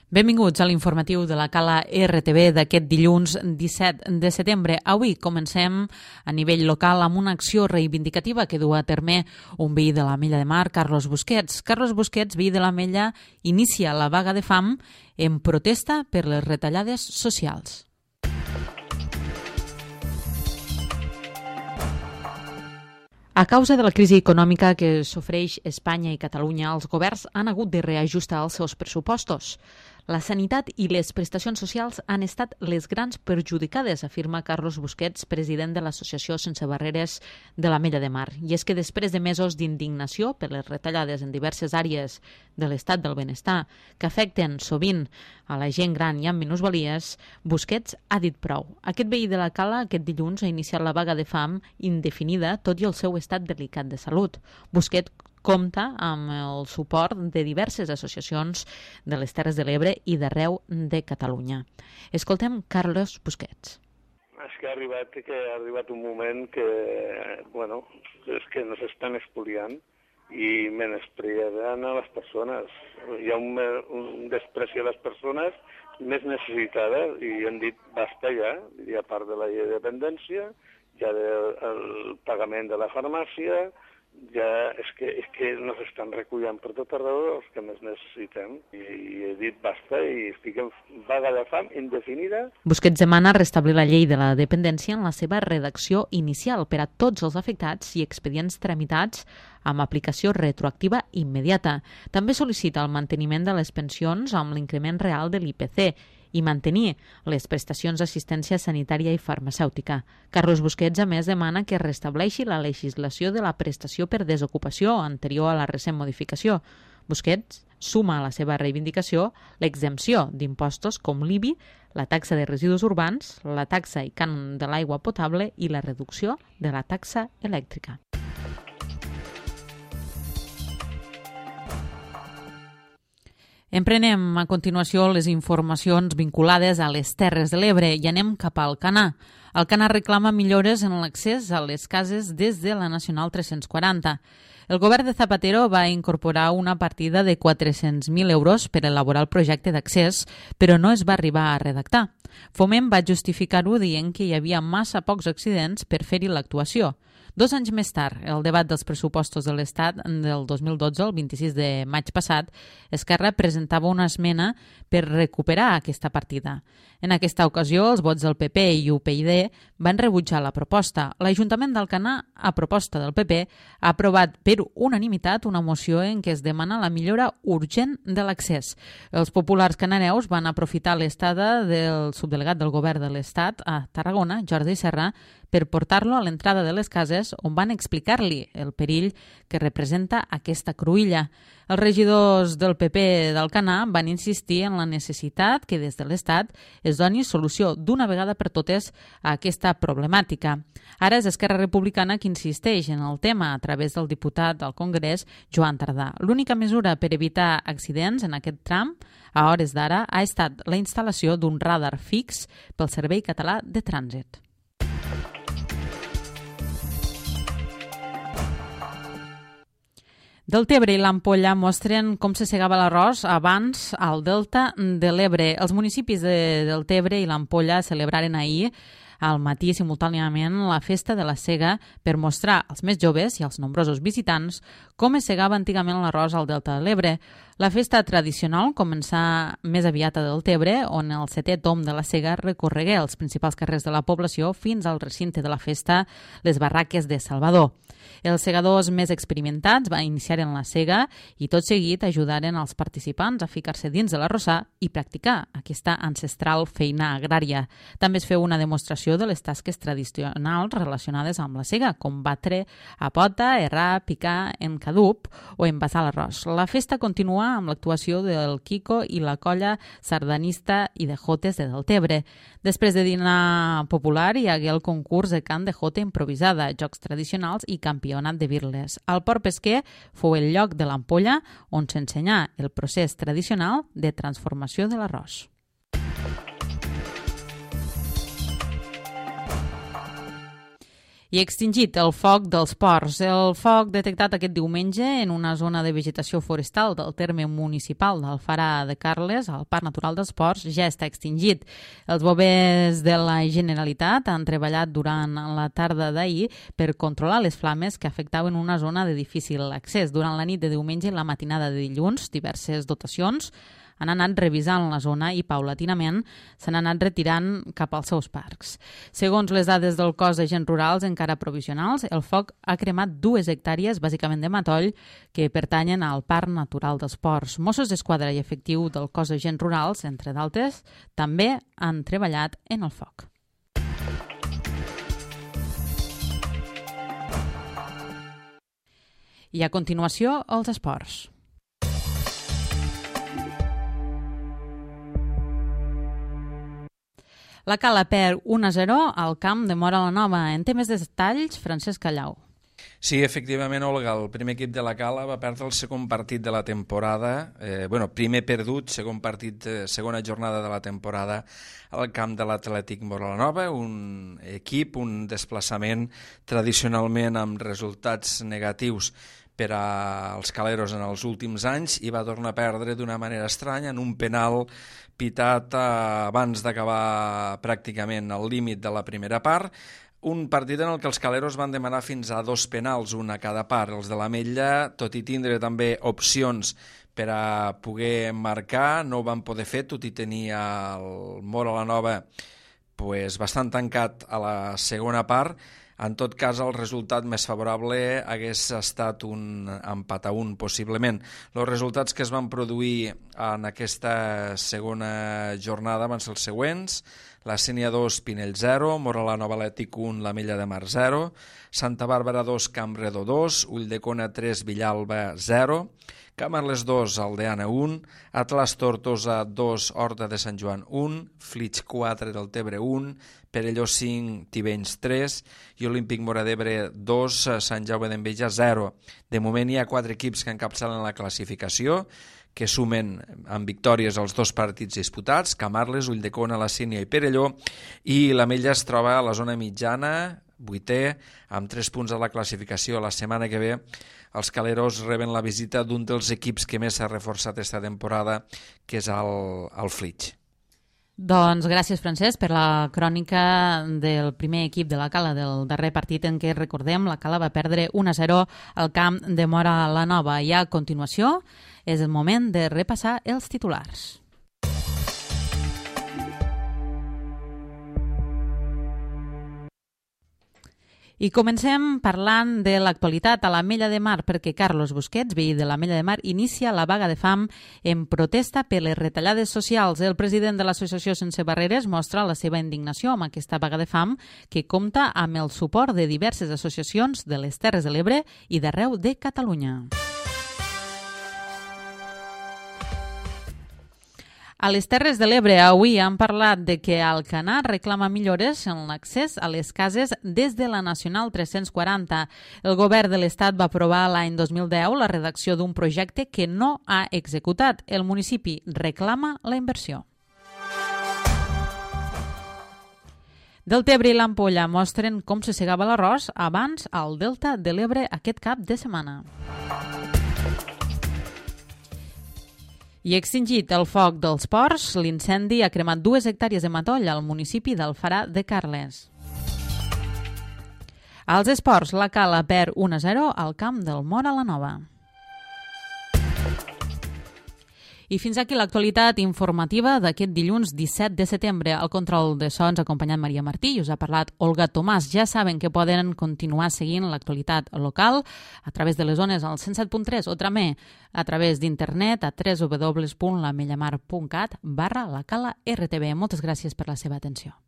Benvinguts a l'informatiu de la Cala RTV d'aquest dilluns 17 de setembre. Avui comencem a nivell local amb una acció reivindicativa que du a terme un veí de l'Ametlla de Mar, Carlos Busquets. Carlos Busquets, veí de l'Ametlla, inicia la vaga de fam en protesta per les retallades socials. A causa de la crisi econòmica que sofreix Espanya i Catalunya, els governs han hagut de reajustar els seus pressupostos. La sanitat i les prestacions socials han estat les grans perjudicades, afirma Carlos Busquets, president de l'Associació Sense Barreres de l'Ametlla de Mar. I és que després de mesos d'indignació per les retallades en diverses àrees de l'estat del benestar que afecten sovint a la gent gran i amb minusvalies, Busquets ha dit prou. Aquest veí de la Cala aquest dilluns ha iniciat la vaga de fam indefinida, tot i el seu estat delicat de salut. Busquets compta amb el suport de diverses associacions de les Terres de l'Ebre i d'arreu de Catalunya. Escoltem Carlos Busquets. És que ha arribat un moment que, és que nos estan expoliant i menyspreant a les persones. Hi ha un despreci a les persones més necessitades i han dit basta ja, i a part de la llei de dependència, ja del pagament de la farmàcia, ja és que nos estan recullant per tot arreu els que més necessitem. I he dit basta i estic en vaga de fam indefinida. Busquets demana restablir la llei de la dependència en la seva redacció inicial per a tots els afectats i expedients tramitats amb aplicació retroactiva immediata. També sol·licita el manteniment de les pensions amb l'increment real de l'IPC i mantenir les prestacions d'assistència sanitària i farmacèutica. Carlos Busquets, a més, demana que es restableixi la legislació de la prestació per desocupació anterior a la recent modificació. Busquets suma a la seva reivindicació l'exempció d'impostos com l'IBI, la taxa de residus urbans, la taxa i cànon de l'aigua potable i la reducció de la taxa elèctrica. Emprenem a continuació les informacions vinculades a les Terres de l'Ebre i anem cap al Canà. El Canà reclama millores en l'accés a les cases des de la Nacional 340. El govern de Zapatero va incorporar una partida de 400.000 euros per elaborar el projecte d'accés, però no es va arribar a redactar. Foment va justificar-ho dient que hi havia massa pocs accidents per fer-hi l'actuació. 2 anys més tard, el debat dels pressupostos de l'Estat del 2012, el 26 de maig passat, Esquerra presentava una esmena per recuperar aquesta partida. En aquesta ocasió, els vots del PP i UPyD van rebutjar la proposta. L'Ajuntament d'Alcanar, a proposta del PP, ha aprovat per unanimitat una moció en què es demana la millora urgent de l'accés. Els populars cananeus van aprofitar l'estada del subdelegat del govern de l'Estat a Tarragona, Jordi Serra, per portar-lo a l'entrada de les cases on van explicar-li el perill que representa aquesta cruïlla. Els regidors del PP d'Alcanar van insistir en la necessitat que des de l'Estat es doni solució d'una vegada per totes a aquesta problemàtica. Ara és Esquerra Republicana qui insisteix en el tema a través del diputat al Congrés, Joan Tardà. L'única mesura per evitar accidents en aquest tram, a hores d'ara, ha estat la instal·lació d'un radar fix pel Servei Català de Trànsit. Deltebre i l'Ampolla mostren com se segava l'arròs abans al Delta de l'Ebre. Els municipis de Deltebre i l'Ampolla celebraren ahir al matí simultàniament la festa de la sega per mostrar als més joves i als nombrosos visitants com es segava antigament l'arròs al Delta de l'Ebre. La festa tradicional començà més aviat a Deltebre, on el 7è tom de la sega recorregué els principals carrers de la població fins al recinte de la festa, les barraques de Salvador. Els segadors més experimentats van iniciar en la sega i tot seguit ajudaren els participants a ficar-se dins de l'arrossar i practicar aquesta ancestral feina agrària. També es feu una demostració de les tasques tradicionals relacionades amb la sega, com batre a pota, errar, picar en cadup o envasar l'arròs. La festa continua amb l'actuació del Quico i la colla sardanista i de jotes de Deltebre. Després de dinar popular hi hagué el concurs de cant de jota improvisada, jocs tradicionals i campionat de birles. El Port Pesquer fou el lloc de l'Ampolla on s'ensenyà el procés tradicional de transformació de l'arròs. I extingit el foc dels ports. El foc detectat aquest diumenge en una zona de vegetació forestal del terme municipal d'Alfara de Carles, al Parc Natural dels Ports, ja està extingit. Els bombers de la Generalitat han treballat durant la tarda d'ahir per controlar les flames que afectaven una zona de difícil accés. Durant la nit de diumenge i la matinada de dilluns, diverses dotacions han anat revisant la zona i paulatinament s'han anat retirant cap als seus parcs. Segons les dades del cos d'agents rurals encara provisionals, el foc ha cremat 2 hectàrees, bàsicament de matoll, que pertanyen al Parc Natural dels Ports. Mossos d'Esquadra i efectiu del cos d'agents rurals, entre d'altres, també han treballat en el foc. I a continuació, els esports. La Cala perd 1-0 al camp de Móra la Nova. En té més detalls, Francesc Callau. Sí, efectivament, Olga, el primer equip de la Cala va perdre el segon partit de la temporada, primer perdut, segon partit, segona jornada de la temporada al camp de l'Atlètic Móra la Nova, un equip, un desplaçament tradicionalment amb resultats negatius per als caleros en els últims anys i va tornar a perdre d'una manera estranya en un penal pitat abans d'acabar pràcticament al límit de la primera part. Un partit en el que els caleros van demanar fins a 2 penals, un a cada part. Els de l'Ametlla, tot i tindre també opcions per a poder marcar, no ho van poder fer, tot i tenir el Móra la Nova bastant tancat a la segona part. En tot cas, el resultat més favorable hagués estat un empat a 1, possiblement. Els resultats que es van produir en aquesta segona jornada van ser els següents: la Sénia 2, Pinell 0, Móra la Nova Atlètic 1, l'Ametlla de Mar 0, Santa Bàrbara 2, Camp Redó 2, Ulldecona 3, Villalba 0, Camarles 2, Aldeana 1, Atlas Tortosa 2, Horta de Sant Joan 1, Flix 4, del Tebre 1, Perelló 5, Tivenys 3 i Olímpic Móra d'Ebre 2, Sant Jaume d'Enveja 0. De moment hi ha 4 equips que encapçalen la classificació, que sumen amb victòries els 2 partits disputats, Camarles, Ulldecona, la Sénia i Perelló, i l'Ametlla es troba a la zona mitjana, 8è, amb 3 punts a la classificació. La setmana que ve els caleros reben la visita d'un dels equips que més s'ha reforçat aquesta temporada, que és el Flix. Doncs gràcies, Francesc, per la crònica del primer equip de la Cala, del darrer partit en què, recordem, la Cala va perdre 1-0 al camp de Móra la Nova. I a continuació és el moment de repassar els titulars. I comencem parlant de l'actualitat a l'Ametlla de Mar, perquè Carlos Busquets, veí de l'Ametlla de Mar, inicia la vaga de fam en protesta per les retallades socials. El president de l'Associació Sense Barreres mostra la seva indignació amb aquesta vaga de fam, que compta amb el suport de diverses associacions de les Terres de l'Ebre i d'arreu de Catalunya. A les Terres de l'Ebre avui han parlat de que Alcanar reclama millores en l'accés a les cases des de la Nacional 340. El govern de l'Estat va aprovar l'any 2010 la redacció d'un projecte que no ha executat. El municipi reclama la inversió. Deltebre i l'Ampolla mostren com se segava l'arròs abans al Delta de l'Ebre aquest cap de setmana. I extingit el foc dels ports, l'incendi ha cremat 2 hectàrees de matoll al municipi d'Alfara de Carles. Als esports, la Cala perd 1-0 al camp del Móra la Nova. I fins aquí l'actualitat informativa d'aquest dilluns 17 de setembre. Al control de so ens ha acompanyat Maria Martí i us ha parlat Olga Tomàs. Ja saben que poden continuar seguint l'actualitat local a través de les zones al 107.3 o també a través d'internet a www.lamellamar.cat/lacala RTV. Moltes gràcies per la seva atenció.